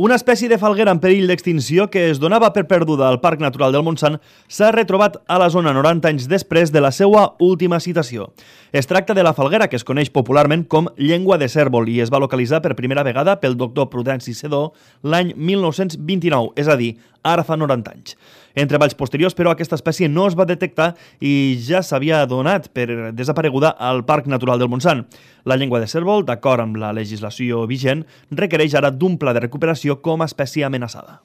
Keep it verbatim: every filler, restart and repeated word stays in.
Una espècie de falguera en perill d'extinció que es donava per perduda al Parc Natural del Montsant s'ha retrobat a la zona noranta anys després de la seva última citació. Es tracta de la falguera que es coneix popularment com llengua de cérvol i es va localitzar per primera vegada pel doctor Prudenci Sedó l'any mil nou-cents vint-i-nou, és a dir, ara fa noranta anys. En treballs posteriors, però, aquesta espècie no es va detectar i ja s'havia donat per desapareguda al Parc Natural del Montsant. La llengua de cérvol, d'acord amb la legislació vigent, requereix ara d'un pla de recuperació com a espècie amenaçada.